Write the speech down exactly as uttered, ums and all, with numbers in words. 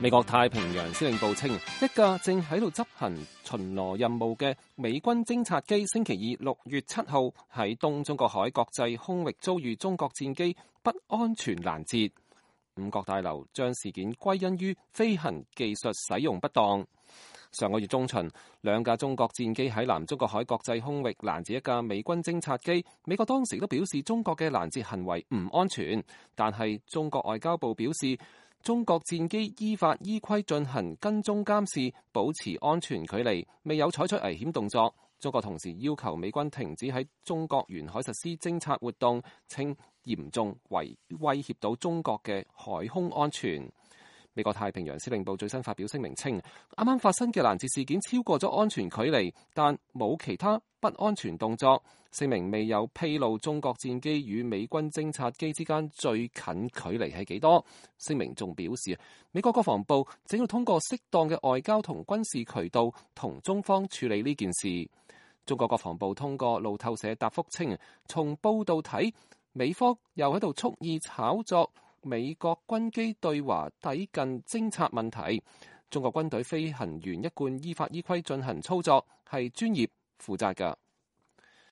美國太平洋司令部稱，一架正喺度執行巡邏任務嘅美軍偵察機星期二六月七號喺東中國海國際空域遭遇中國戰機不安全攔截。五角大樓將事件歸因於飛行技術使用不當。上個月中旬，兩架中國戰機喺南中國海國際空域攔截一架美軍偵察機。美國當時都表示中國嘅攔截行為唔安全，但係中國外交部表示，中國戰機依法依規進行跟蹤監視，保持安全距離，未有採取危險動作。中國同時要求美軍停止喺中國沿海實施偵察活動，稱嚴重違威脅到中國嘅海空安全。美國太平洋司令部最新發表聲明稱，啱啱發生嘅攔截事件超過咗安全距離，但冇其他不安全動作。聲明未有披露中國戰機與美軍偵察機之間最近距離係幾多。聲明仲表示，美國國防部正要通過適當嘅外交同軍事渠道同中方處理呢件事。中國國防部通過路透社答覆稱，從報道睇，美方又喺度蓄意炒作美國軍機對華抵近偵察問題。中國軍隊飛行員一貫依法依規進行操作，係專業負責㗎。